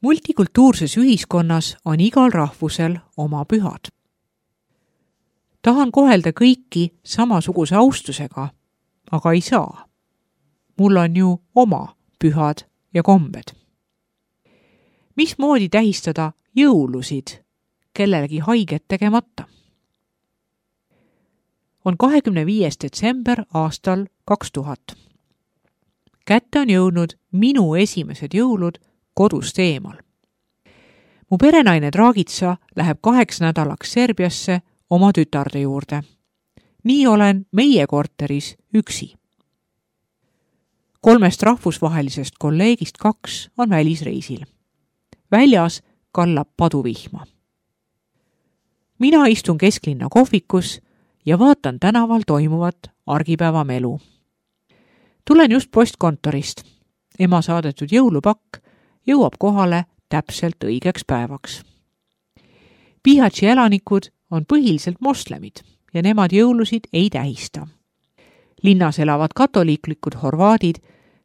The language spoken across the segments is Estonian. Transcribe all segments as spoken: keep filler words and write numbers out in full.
Multikultuurses ühiskonnas on igal rahvusel oma pühad. Tahan kohelda kõiki samasuguse austusega, aga ei saa. Mul on ju oma pühad ja kombed. Mismoodi tähistada jõulusid kellelegi haiget tegemata? On kahekümne viies detsember aastal kaks tuhat. Kätte on jõudnud minu esimesed jõulud kodust eemal. Mu perenaine Draagitsa läheb kaheks nädalaks Serbiasse oma tütarde juurde. Nii olen meie korteris üksi. Kolmest rahvusvahelisest kolleegist kaks on välisreisil. Väljas kallab paduvihma. Mina istun kesklinna kohvikus ja vaatan tänaval toimuvat argipäeva melu. Tulen just postkontorist. Ema saadetud jõulupakk jõuab kohale täpselt õigeks päevaks. Bihaći elanikud on põhiliselt moslemid ja nemad jõulusid ei tähista. Linnas elavad katoliiklikud horvaadid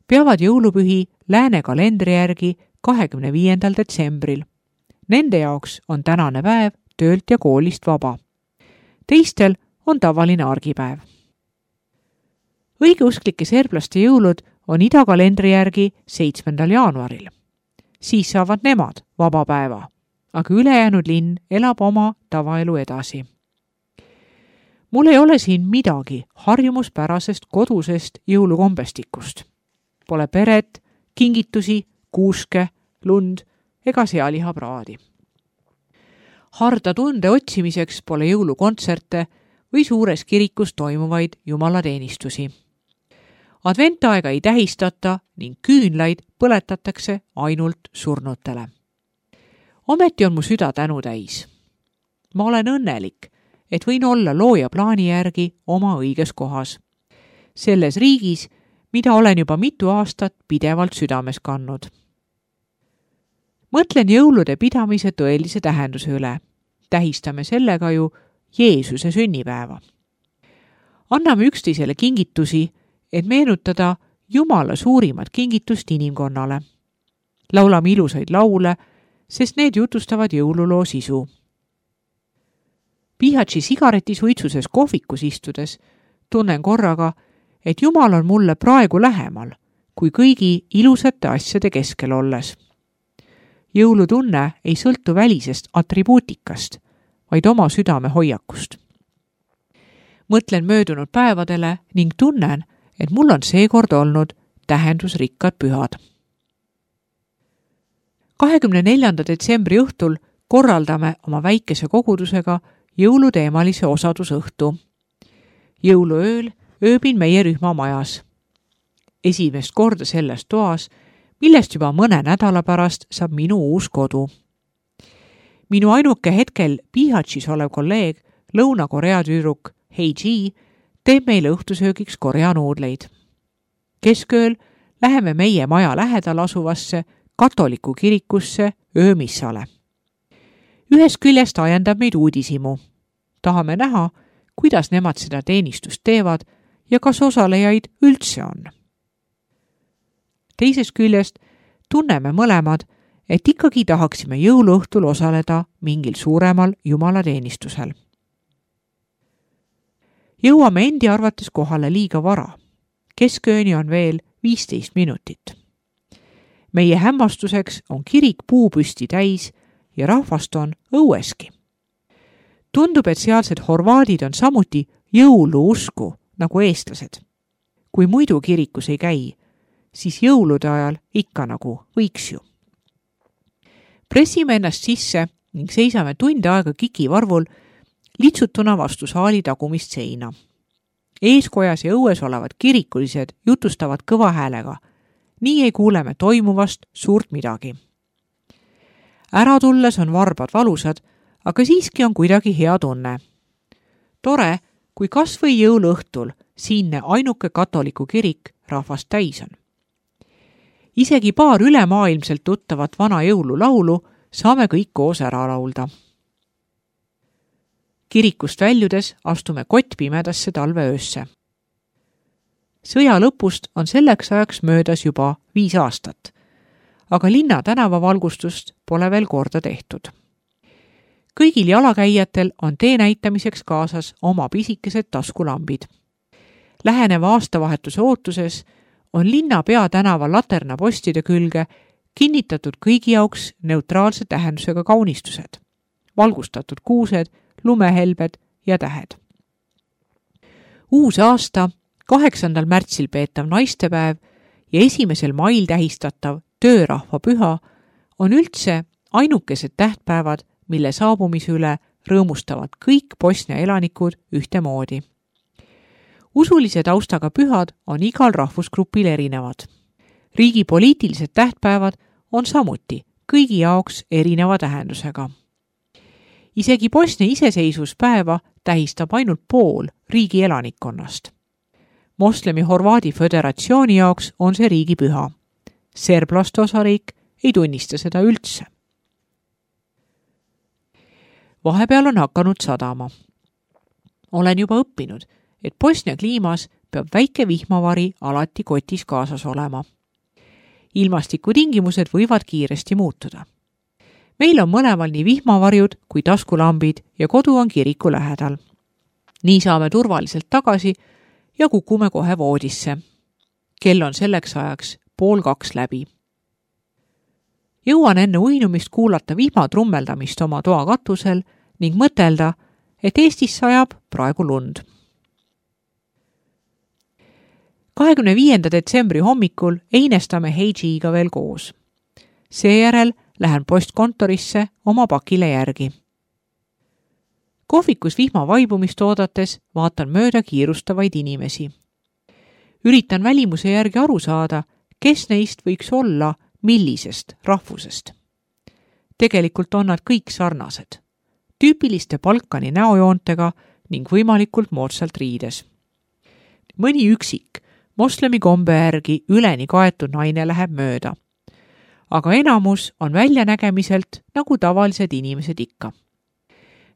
peavad jõulupühi lääne kalendri järgi kahekümne viiendal detsembril. Nende jaoks on tänane päev töölt ja koolist vaba. Teistel on tavaline argipäev. Õigeusklike serblaste jõulud on idakalendri järgi seitsmendal jaanuaril. Siis saavad nemad vaba päeva, aga ülejäänud linn elab oma tavaelu edasi. Mul ei ole siin midagi harjumuspärasest kodusest jõulukombestikust. Pole peret, kingitusi, kuuske, lund ega sealihapraadi. Harda tunde otsimiseks pole jõulukontserte või suures kirikus toimuvaid jumalateenistusi. Adventaega ei tähistata ning küünlaid põletatakse ainult surnutele. Ometi on mu süda tänu täis. Ma olen õnnelik, et võin olla looja plaani järgi oma õiges kohas. Selles riigis, mida olen juba mitu aastat pidevalt südames kannud. Mõtlen jõulude pidamise tõelise tähenduse üle. Tähistame sellega ju Jeesuse sünnipäeva. Anname üksteisele kingitusi, et meenutada Jumala suurimat kingitust inimkonnale. Laulame ilusaid laule, sest need jutustavad jõululoo sisu. Bihaći sigaretisuitsuses kohvikus istudes tunnen korraga, et Jumal on mulle praegu lähemal kui kõigi ilusate asjade keskel olles. Jõulutunne ei sõltu välisest atribuutikast, vaid oma südame hoiakust. Mõtlen möödunud päevadele ning tunnen, et mul on seekord olnud tähendusrikkad pühad. kahekümne neljanda detsembri õhtul korraldame oma väikese kogudusega jõuluteemalise osadusõhtu. Jõuluööl ööbin meie rühma majas. Esimest korda selles toas, millest juba mõne nädala pärast saab minu uus kodu. Minu ainuke hetkel Bihaćis olev kolleeg, Lõuna-Korea tüdruk Heiji, teeb meile õhtusöögiks Korea nuudleid. Keskööl läheme meie maja lähedal asuvasse katoliku kirikusse öömissale. Ühest küljest ajendab meid uudisimu. Tahame näha, kuidas nemad seda teenistust teevad ja kas osalejaid üldse on. Teisest küljest tunneme mõlemad, et ikkagi tahaksime jõuluõhtul osaleda mingil suuremal jumalateenistusel. Jõuame endi arvates kohale liiga vara. Keskööni on veel viisteist minutit. Meie hämmastuseks on kirik puupüsti täis ja rahvast on õueski. Tundub, et sealsed horvaadid on samuti jõuluusku nagu eestlased. Kui muidu kirikus ei käi, siis jõulude ajal ikka nagu võiks ju. Pressime ennast sisse ning seisame tund aega kikivarvul litsutuna vastu saali tagumist seina. Eeskojas ja õues olevad kirikulised jutustavad kõva häälega. Nii ei kuuleme toimuvast suurt midagi. Ära tulles on varbad valusad, aga siiski on kuidagi hea tunne. Tore, kui kas või jõuluõhtul siinne ainuke katoliku kirik rahvast täis on. Isegi paar ülemaailmselt tuttavat vana jõululaulu saame kõik koos ära laulda. Kirikust väljudes astume kottpimedasse talveöösse. Sõja lõpust on selleks ajaks möödas juba viis aastat, aga linna tänavavalgustust pole veel korda tehtud. Kõigil jalakäijatel on tee näitamiseks kaasas oma pisikesed taskulambid. Läheneva aastavahetuse ootuses on linna peatänava laternapostide külge kinnitatud kõigi jaoks neutraalse tähendusega kaunistused, valgustatud kuused, lumehelbed ja tähed. Uus aasta, kaheksandal märtsil peetav naistepäev ja esimesel mail tähistatav töörahva püha on üldse ainukesed tähtpäevad, mille saabumise üle rõõmustavad kõik Bosnia elanikud ühtemoodi. Usulise taustaga pühad on igal rahvusgrupil erinevad. Riigi poliitilised tähtpäevad on samuti kõigi jaoks erineva tähendusega. Isegi Bosnia iseseisvuspäeva tähistab ainult pool riigi elanikkonnast. Moslemi Horvaadi föderatsiooni jaoks on see riigipüha. Serblaste osariik ei tunnista seda üldse. Vahepeal on hakanud sadama. Olen juba õppinud, et Bosnia kliimas peab väike vihmavari alati kotis kaasas olema. Ilmastikutingimused võivad kiiresti muutuda. Meil on mõlemal nii vihmavarjud kui taskulambid ja kodu on kiriku lähedal. Nii saame turvaliselt tagasi ja kukume kohe voodisse. Kell on selleks ajaks pool kaks läbi. Jõuan enne uinumist kuulata vihma trummeldamist oma toa katusel ning mõtelda, et Eestis sajab praegu lund. kahekümne viienda detsembri hommikul einestame Heijiga veel koos. Seejärel lähen postkontorisse oma pakile järgi. Kohvikus vihma vaibumist oodates vaatan mööda kiirustavaid inimesi. Üritan välimuse järgi aru saada, kes neist võiks olla millisest rahvusest. Tegelikult on nad kõik sarnased, tüüpiliste Balkani näojoontega ning võimalikult moodsalt riides. Mõni üksik moslemi kombe järgi üleni kaetud naine läheb mööda, aga enamus on väljanägemiselt nagu tavalised inimesed ikka.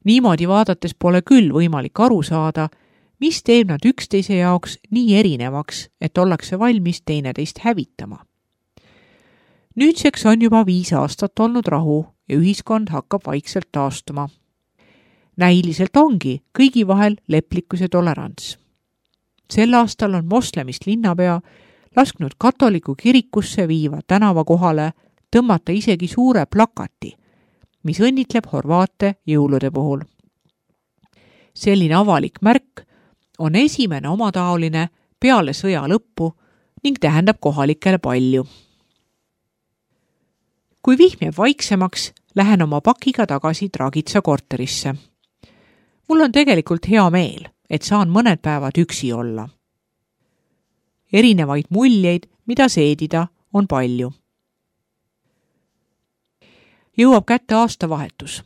Niimoodi vaadates pole küll võimalik aru saada, mis teeb nad üksteise jaoks nii erinevaks, et ollakse valmis teineteist hävitama. Nüüdseks on juba viis aastat olnud rahu ja ühiskond hakkab vaikselt taastuma. Näiliselt ongi kõigi vahel leplikkus ja tolerants. Sel aastal on moslemist linnapea lasknud katoliku kirikusse viiva tänava kohale tõmmata isegi suure plakati, mis õnnitleb horvaate jõulude puhul. Selline avalik märk on esimene omataoline peale sõja lõppu ning tähendab kohalikele palju. Kui vihm jääb vaiksemaks, lähen oma pakiga tagasi Dragitsa korterisse. Mul on tegelikult hea meel, et saan mõned päevad üksi olla. Erinevaid muljeid, mida seedida, on palju. Jõuab kätte aastavahetus.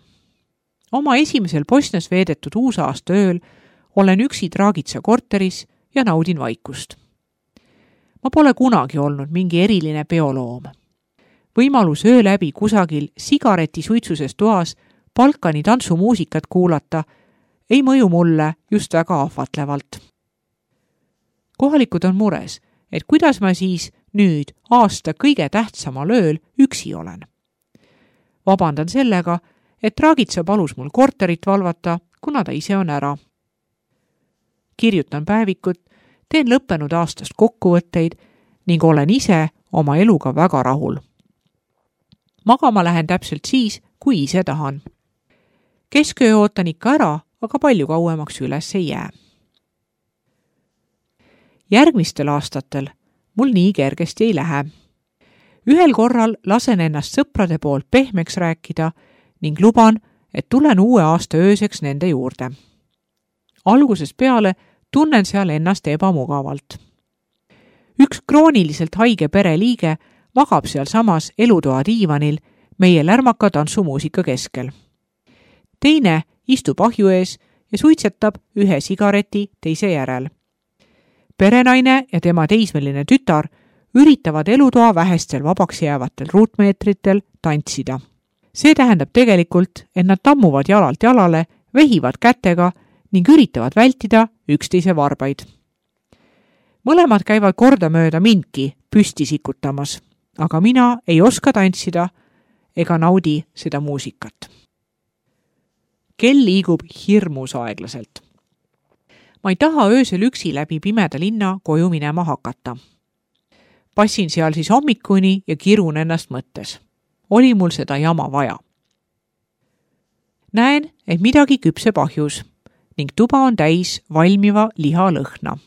Oma esimesel Bosnias veedetud uusaasta ööl olen üksi Dragitsa korteris ja naudin vaikust. Ma pole kunagi olnud mingi eriline peoloom. Võimalus öö läbi kusagil sigareti suitsuses toas Balkani tantsumuusikat kuulata ei mõju mulle just väga ahvatlevalt. Kohalikud on mures, et kuidas ma siis nüüd aasta kõige tähtsamal ööl üksi olen. Vabandan sellega, et Dragitsa palus mul korterit valvata, kuna ta ise on ära. Kirjutan päevikut, teen lõppenud aastast kokkuvõtteid ning olen ise oma eluga väga rahul. Magama lähen täpselt siis, kui ise tahan. Kesköö ootan ikka ära, aga palju kauemaks üles ei jää. Järgmistel aastatel mul nii kergesti ei lähe. Ühel korral lasen ennast sõprade poolt pehmeks rääkida ning luban, et tulen uue aasta ööseks nende juurde. Algusest peale tunnen seal ennast ebamugavalt. Üks krooniliselt haige pereliige magab seal samas elutoa diivanil meie lärmaka tantsumuusika keskel. Teine istub ahju ees ja suitsetab ühe sigareti teise järel. Perenaine ja tema teismeline tütar üritavad elutoa vähestel vabaks jäävatel ruutmeetritel tantsida. See tähendab tegelikult, et nad tammuvad jalalt jalale, vehivad kätega ning üritavad vältida üksteise varbaid. Mõlemad käivad kordamööda mindki püsti sikutamas. aga mina ei oska tantsida ega naudi seda muusikat. Kell liigub hirmus aeglaselt. Ma ei taha öösel üksi läbi pimeda linna koju minema hakata. Passin seal siis hommikuni ja kirun ennast mõttes. Oli mul seda jama vaja. Näen, et midagi küpseb ahjus ning tuba on täis valmiva liha lõhna.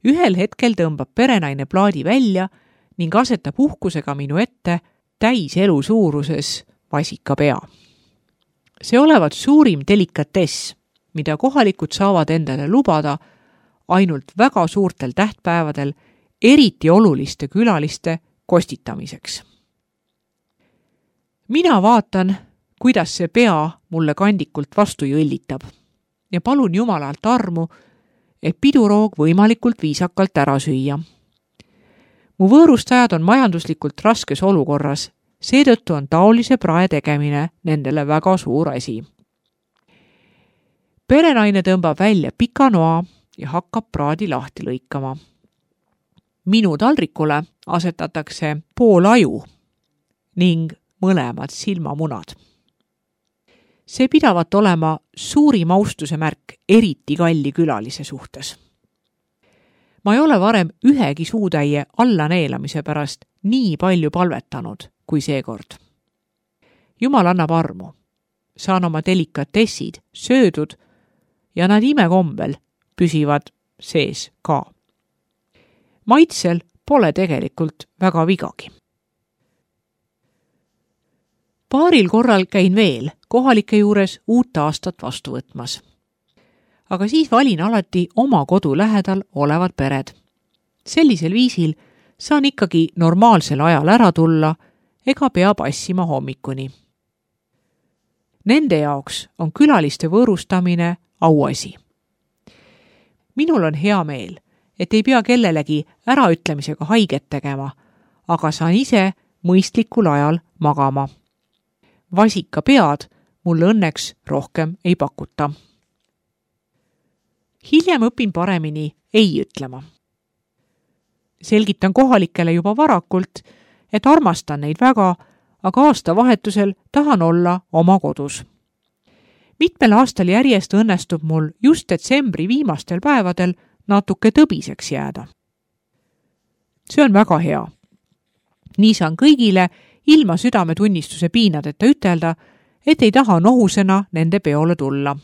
Ühel hetkel tõmbab perenaine plaadi välja ning asetab uhkusega minu ette täis elu suuruses vasikapea. See olevat suurim delikatess, mida kohalikud saavad endale lubada ainult väga suurtel tähtpäevadel, eriti oluliste külaliste kostitamiseks. Mina vaatan, kuidas see pea mulle kandikult vastu jõllitab ja palun Jumalalt armu, et piduroog võimalikult viisakalt ära süüa. Mu võõrustajad on majanduslikult raskes olukorras, seetõttu on taolise prae tegemine nendele väga suur asi. Perenaine tõmbab välja pika noa ja hakkab praadi lahti lõikama. Minu taldrikule asetatakse pool aju ning mõlemad silmamunad. See pidavat olema suurim austuse märk eriti kalli külalise suhtes. Ma ei ole varem ühegi suutäie alla neelamise pärast nii palju palvetanud kui seekord. Jumal annab armu. Saan oma delikatessid söödud ja nad imekombel püsivad sees ka. Maitsel pole tegelikult väga vigagi. Paaril korral käin veel kohalike juures uut aastat vastu võtmas. Aga siis valin alati oma kodu lähedal olevad pered. Sellisel viisil saan ikkagi normaalsel ajal ära tulla ega pea passima hommikuni. Nende jaoks on külaliste võõrustamine auasi. Minul on hea meel, et ei pea kellelegi äraütlemisega haiget tegema, aga saan ise mõistlikul ajal magama. Vasika pead mulle õnneks rohkem ei pakuta. Hiljem õpin paremini ei ütlema. Selgitan kohalikele juba varakult, et armastan neid väga, aga aastavahetusel tahan olla oma kodus. Mitmel aastal järjest õnnestub mul just detsembri viimastel päevadel natuke tõbiseks jääda. See on väga hea. Nii saan kõigile ilma südametunnistuse piinadeta ütelda, et ei taha nohusena nende peole tulla.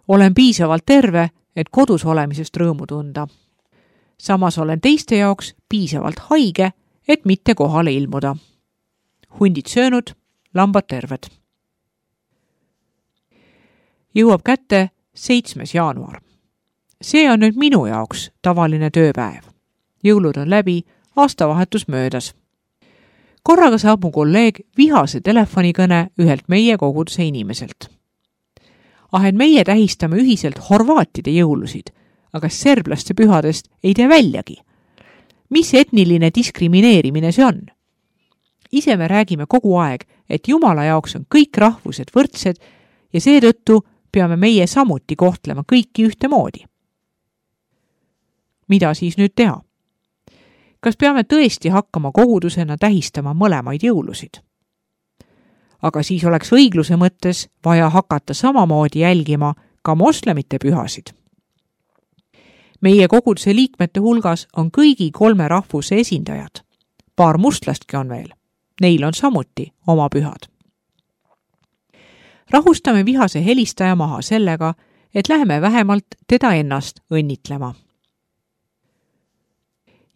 Olen piisavalt terve, et kodus olemisest rõõmu tunda. Samas olen teiste jaoks piisavalt haige, et mitte kohale ilmuda. Hundid söönud, lambad terved. Jõuab kätte seitsmes jaanuar. See on nüüd minu jaoks tavaline tööpäev. Jõulud on läbi, aastavahetus möödas. Korraga saab mu kolleeg vihase telefonikõne ühelt meie koguduse inimeselt. Ah, et meie tähistame ühiselt horvaatide jõulusid, aga serblaste pühadest ei tee väljagi. Mis etniline diskrimineerimine see on? Ise me räägime kogu aeg, et Jumala jaoks on kõik rahvused võrdsed ja seetõttu peame meie samuti kohtlema kõiki ühtemoodi. Mida siis nüüd teha? Kas peame tõesti hakkama kogudusena tähistama mõlemaid jõulusid? Aga siis oleks õigluse mõttes vaja hakata samamoodi jälgima ka moslemite pühasid. Meie koguduse liikmete hulgas on kõigi kolme rahvuse esindajad. Paar mustlastki on veel. Neil on samuti oma pühad. Rahustame vihase helistaja maha sellega, et läheme vähemalt teda ennast õnnitlema.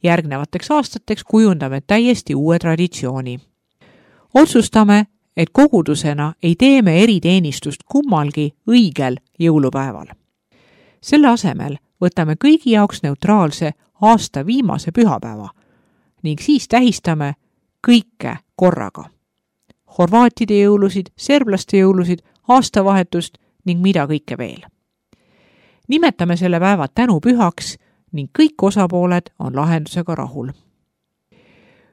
Järgnevateks aastateks kujundame täiesti uue traditsiooni. Otsustame, et kogudusena ei teeme eriteenistust kummalgi õigel jõulupäeval. Selle asemel võtame kõigi jaoks neutraalse aasta viimase pühapäeva ning siis tähistame kõike korraga. Horvaatide jõulusid, serblaste jõulusid, aastavahetust ning mida kõike veel. Nimetame selle päeva tänupühaks ning kõik osapooled on lahendusega rahul.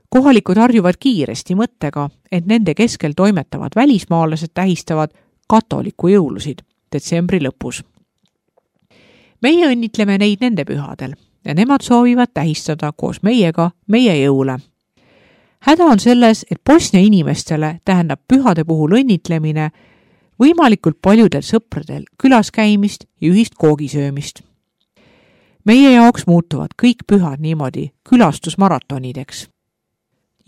Kohalikud harjuvad kiiresti mõttega, et nende keskel toimetavad välismaalased tähistavad katoliku jõulusid detsembri lõpus. Meie õnnitleme neid nende pühadel ja nemad soovivad tähistada koos meiega meie jõule. häda on selles, et Bosnia inimestele tähendab pühade puhul õnnitlemine võimalikult paljudel sõpradel külas käimist ja ühist koogisöömist. Meie jaoks muutuvad kõik pühad niimoodi külastusmaratonideks.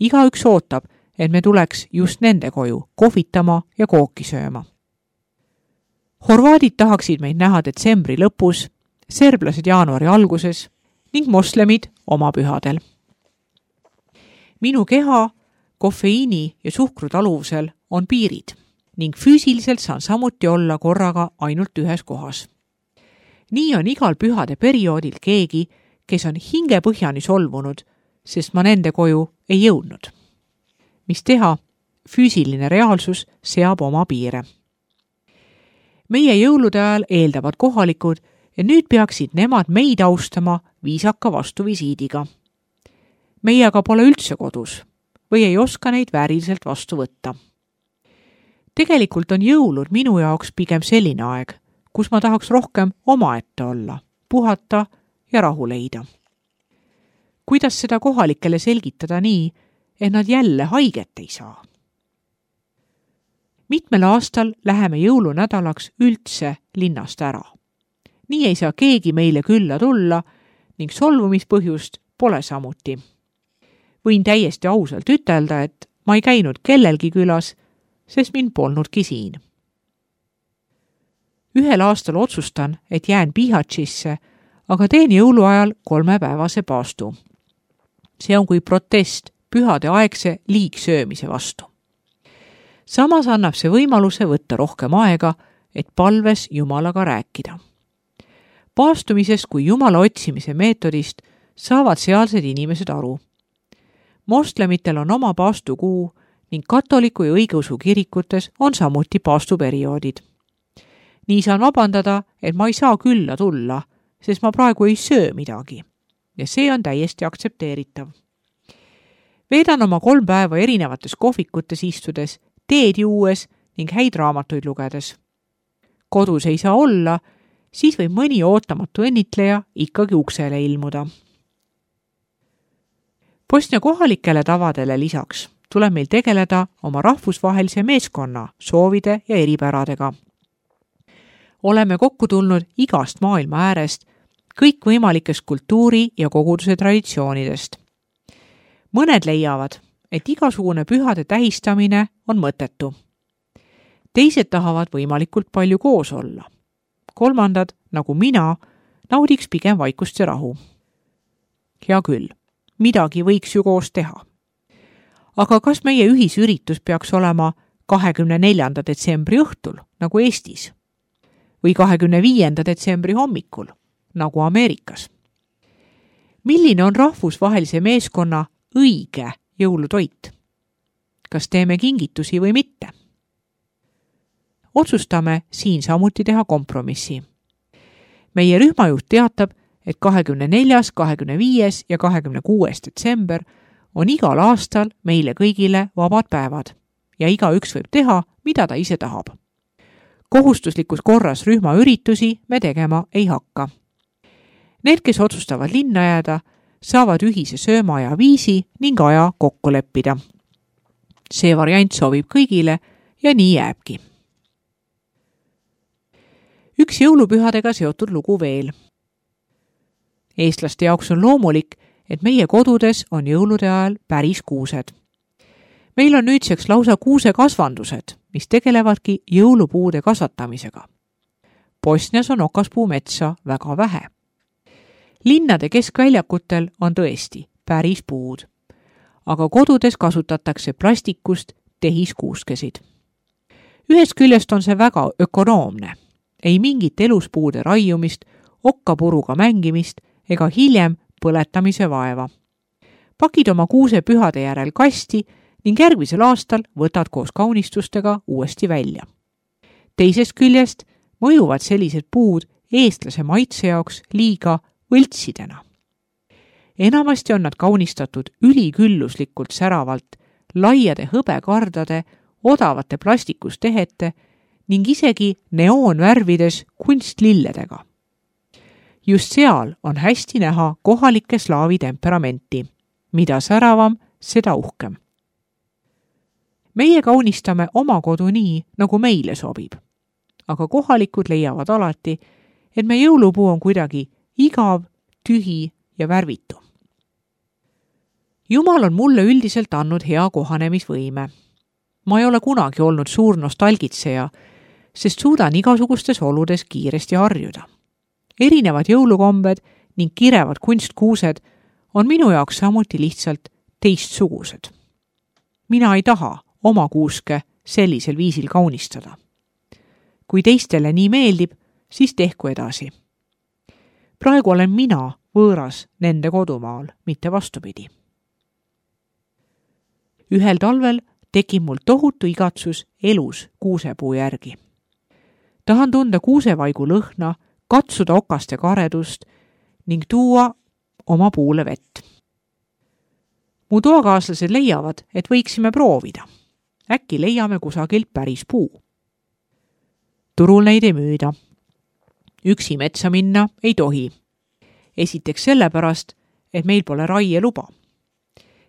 Igaüks ootab, et me tuleks just nende koju kohvitama ja kooki sööma. Horvaadid tahaksid meid näha detsembri lõpus, serblased jaanuari alguses ning moslemid oma pühadel. Minu keha, kofeiini ja suhkru taluvusel on piirid ning füüsiliselt saan samuti olla korraga ainult ühes kohas. Nii on igal pühade perioodil keegi, kes on hingepõhjani solvunud, sest ma nende koju ei jõudnud. Mis teha, füüsiline reaalsus seab oma piire. Meie jõulude ajal eeldavad kohalikud ja nüüd peaksid nemad meid austama viisaka vastuvisiidiga. Meie aga pole üldse kodus või ei oska neid vääriliselt vastu võtta. Tegelikult on jõulud minu jaoks pigem selline aeg, kus ma tahaks rohkem omaette olla, puhata ja rahu leida. Kuidas seda kohalikele selgitada nii, et nad jälle haiget ei saa? Mitmel aastal läheme jõulunädalaks üldse linnast ära. Nii ei saa keegi meile külla tulla ning solvumispõhjust pole samuti. Võin täiesti ausalt ütelda, et ma ei käinud kellelgi külas, sest mind polnudki siin. Ühel aastal otsustan, et jään Bihaćisse, aga teen jõuluajal kolmepäevase paastu. See on kui protest pühade aegse liigsöömise vastu. Samas annab see võimaluse võtta rohkem aega, et palves Jumalaga rääkida. Paastumisest kui Jumala otsimise meetodist saavad sealsed inimesed aru. Moslemitel on oma paastukuu ning katoliku ja õigeusu kirikutes on samuti paastuperioodid. Nii saan vabandada, et ma ei saa külla tulla, sest ma praegu ei söö midagi ja see on täiesti aktsepteeritav. Veedan oma kolm päeva erinevates kohvikutes istudes, teed juues ning häid raamatuid lugedes. Kodus ei saa olla, siis võib mõni ootamatu õnnitleja ikkagi uksele ilmuda. Bosnia kohalikele tavadele lisaks tuleb meil tegeleda oma rahvusvahelise meeskonna soovide ja eripäradega. Oleme kokku tulnud igast maailma äärest, kõikvõimalikest kultuuri ja koguduse traditsioonidest. Mõned leiavad, et igasugune pühade tähistamine on mõttetu. Teised tahavad võimalikult palju koos olla. Kolmandad, nagu mina, naudiks pigem vaikust ja rahu. Hea küll, midagi võiks ju koos teha. Aga kas meie ühisüritus peaks olema kahekümne neljanda detsembri õhtul, nagu Eestis? Või kahekümne viienda detsembri hommikul, nagu Ameerikas? Milline on rahvusvahelise meeskonna õige jõulutoit? Kas teeme kingitusi või mitte? Otsustame siin samuti teha kompromissi. Meie rühmajuht teatab, et kahekümne neljas, kahekümne viies ja kahekümne kuues detsember on igal aastal meile kõigile vabad päevad ja igaüks võib teha, mida ta ise tahab. Kohustuslikus korras rühmaüritusi me tegema ei hakka. Need, kes otsustavad linna jääda, saavad ühise söömaaja viisi ning aja kokku leppida. See variant sobib kõigile ja nii jääbki. Üks jõulupühadega seotud lugu veel. Eestlaste jaoks on loomulik, et meie kodudes on jõulude ajal päris kuused. Meil on nüüdseks lausa kuusekasvandused, mis tegelevadki jõulupuude kasvatamisega. Bosnias on okaspuumetsa väga vähe. Linnade keskväljakutel on tõesti päris puud, aga kodudes kasutatakse plastikust tehiskuuskesid. Ühest küljest on see väga ökonoomne. Ei mingit eluspuude raiumist, okkapuruga mängimist ega hiljem põletamise vaeva. Pakid oma kuuse pühade järel kasti ning järgmisel aastal võtad koos kaunistustega uuesti välja. Teisest küljest mõjuvad sellised puud eestlase maitse jaoks liiga võltsidena. Enamasti on nad kaunistatud ülikülluslikult säravalt, laiade hõbekardade, odavate plastikustehete ning isegi neoonvärvides kunstlilledega. Just seal on hästi näha kohalike slaavi temperamenti. Mida säravam, seda uhkem. meie kaunistame oma kodu nii, nagu meile sobib. Aga kohalikud leiavad alati, et me jõulupuu on kuidagi igav, tühi ja värvitu. Jumal on mulle üldiselt andnud hea kohanemisvõime. Ma ei ole kunagi olnud suur nostalgitseja, sest suudan igasugustes oludes kiiresti harjuda. Erinevad jõulukombed ning kirevad kunstkuused on minu jaoks samuti lihtsalt teistsugused. Mina ei taha oma kuuske sellisel viisil kaunistada. Kui teistele nii meeldib, siis tehku edasi. Praegu olen mina võõras nende kodumaal, mitte vastupidi. Ühel talvel tekib mul tohutu igatsus elus kuusepuu järgi. Tahan tunda kuusevaigu lõhna, katsuda okaste karedust ning tuua oma puule vett. Mu toakaaslased leiavad, et võiksime proovida. Äkki leiame kusagilt päris puu. Turul neid ei müüda. Üksi metsa minna ei tohi. Esiteks sellepärast, et meil pole raieluba.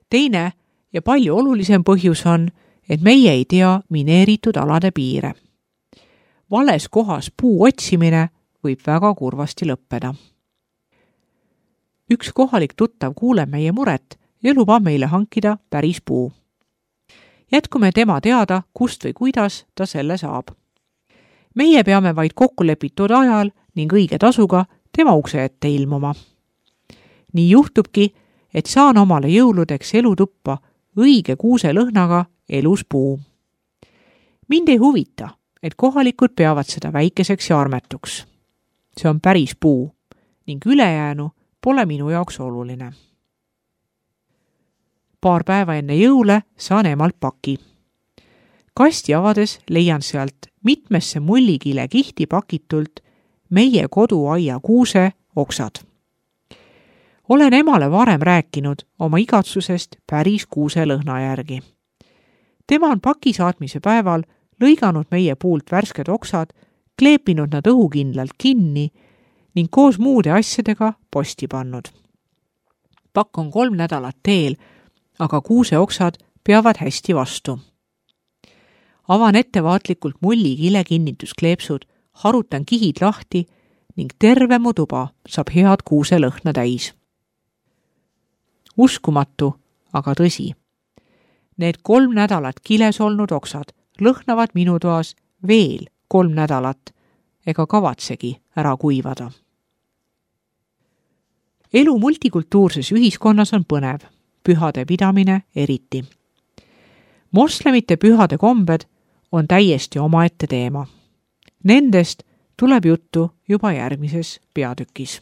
Teine ja palju olulisem põhjus on, et meie ei tea mineeritud alade piire. Vales kohas puu otsimine võib väga kurvasti lõppeda. Üks kohalik tuttav kuuleb meie muret ja lubab meile hankida päris puu. Jätkume tema teada, kust või kuidas ta selle saab. Meie peame vaid kokkulepitud ajal ning õige tasuga tema ukse ette ilmuma. Nii juhtubki, et saan omale jõuludeks elutuppa õige kuuse lõhnaga elus puu. Mind ei huvita, et kohalikud peavad seda väikeseks ja armetuks. See on päris puu ning ülejäänu pole minu jaoks oluline. Paar päeva enne jõule saan emalt paki. Kasti avades leian sealt mitmesse mullikile kihti pakitult meie koduaia kuuse oksad. Olen emale varem rääkinud oma igatsusest päris kuuse lõhna järgi. Tema on paki saatmise päeval lõiganud meie puult värsked oksad, kleepinud nad õhukindlalt kinni ning koos muude asjadega posti pannud. Pakk on kolm nädalat teel, aga kuuse oksad peavad hästi vastu. Avan ettevaatlikult mullikile kinnituskleepsud, harutan kihid lahti ning terve mu tuba saab head kuuse lõhna täis. Uskumatu, aga tõsi. Need kolm nädalat kiles olnud oksad lõhnavad minu toas veel kolm nädalat ega kavatsegi ära kuivada. Elu multikultuurses ühiskonnas on põnev, pühade pidamine eriti. Moslemite pühade kombed on täiesti omaette teema. Nendest tuleb juttu juba järgmises peatükis.